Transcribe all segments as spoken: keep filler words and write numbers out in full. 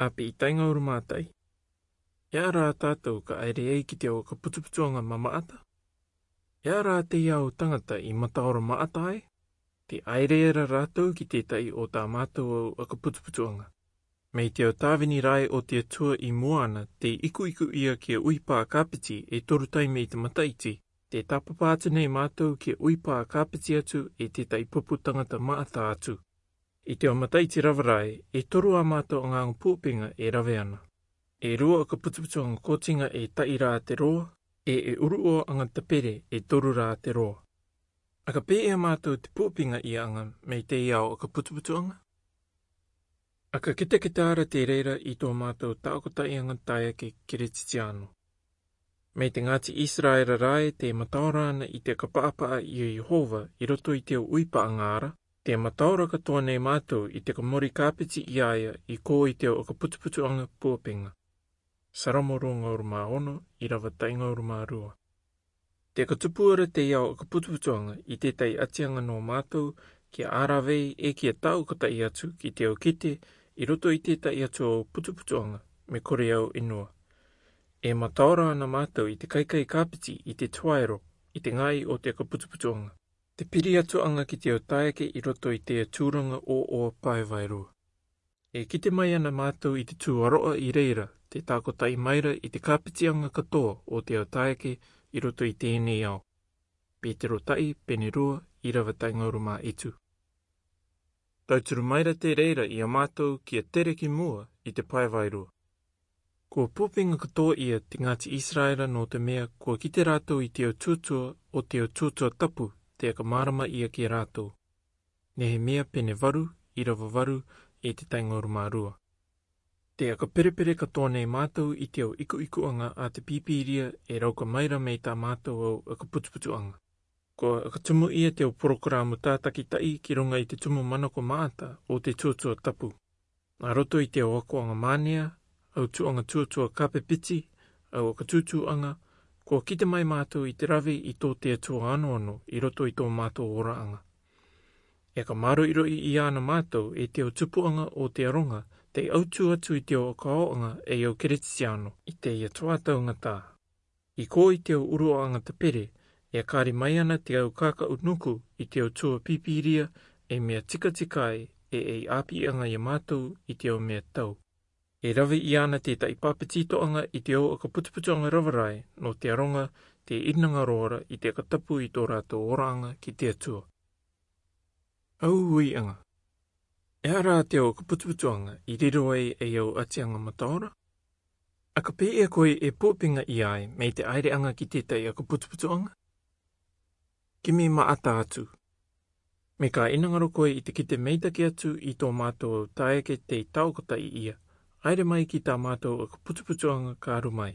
Api i tainga uru matai. E ara a tatou ka aire ai ki te au aka putuputuanga mamaata? E ara a te au tangata i mataora maata ai? Te aire era ratou ki te tai o ta matou au aka putuputuanga. Mei te au tavini rai o te atua i muana te ikuiku ia ki a uipa kapiti e toru tai mei te mataiti, te tapapa atu nei matou ki a uipa kapiti atu e te tai pupu tangata maata atu. I te o mataiti ravarai, e toru a matou angangu pupinga e rave ana. E rua aka putuputuanga kotinga e tai ra te roa, e e uru o anga tapere e toru ra te roa. Aka pe e a matou te pupinga ia anga mei te au aka putuputuanga? Aka kitakita ara te reira i to matou taoko tai anga taia ke keretitiano. Mei te ngati Israera rai te mataora ana i te kapapaa i Iehova i roto i te uipa angara, te mataora katoa nei matou i te kamori kapiti i aia i ko i te aka putuputuanga pupinga. Saramo rua ngauru ma ono, irava tai ngauru ma rua. Te katupu ara te au aka putuputuanga i te tai atianga no matou, ki a aravei e ki a tau ka tai atu ki te au kite, i roto i te tai atu au putuputuanga, me kore au inua. E mataora ana matou i te kaikai kapiti i te tuaero, i te ngai o te aka putuputuanga. Te piri atu anga ki te au taeke i roto i te aturanga o o pae vairua. E kite mai ana matou i te tu aroa i reira, te taoko tai maira i te kapitianga katoa o te au taeke i roto i tenei ao. Petero tai, pene rua, irava tai ngauru ma itu. Tauturu maira te reira i a matou ki a tere ki mua i te pae vairua. Kua pupinga katoa ia te ngati Israera no te mea kua kite ratou i te au tutua o te au tutua tapu te aka marama ia ki a ratou. Nehemia pene varu, irava varu, e te tai ngauru ma rua. Te aka perepere katoa nei matou i te au ikuikuanga a te pipiria e rauka maira mei ta matou au aka putuputuanga. Kua aka tumu ia te au porokaramu tataki tai ki runga i te tumu manako maata o te tutua tapu. A roto i te au akoanga manea, au tuanga tutua kape piti, au aka tutuanga, kua kite mai matou i te rave i to te atua anoano i roto i to matou oraanga. E ka maroiroi i ana matou e te au tupuanga o te aronga, te au tu atu i te au akaoanga e au keretitiano, i te ia tua taungata. I ko i te au uruaanga te pere, e kari mai ana te au kakau nuku i te au tua pipiria, e mea tikatikai, e e apianga i a matou i te au mea tau. E rave i ana te tai papetitoanga i te au aka putuputuanga ravarai, no te aronga, te inanga roara i te aka tapu i to ratou oraanga ki te atua. Au uianga. E ara te au aka putuputuanga i riro ai e au atianga mataora? Aka pe e koe e pupinga i ai mei te aireanga ki te tai aka putuputuanga? Kimi maata atu. Me ka inangaro koe i te kite meitaki atu i to matou au taeke te tau ka tai ia, aire mai ki ta matou aka putuputuanga ka ru mai.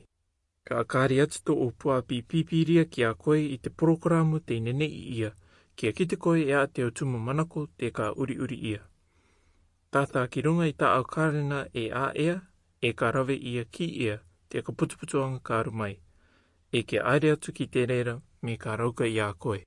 Ka kari atu to o puapi pipiria ki a koe i te porokaramu te nenei ia, ki a kite koe e a te au tumu manako te ka uriuri ia. Tata ki runga i ta au karena e a ea, e ka rave ia ki ia, te ka putuputuanga ka ru mai. E ke aire atu ki te rera, me ka rauka i a koe.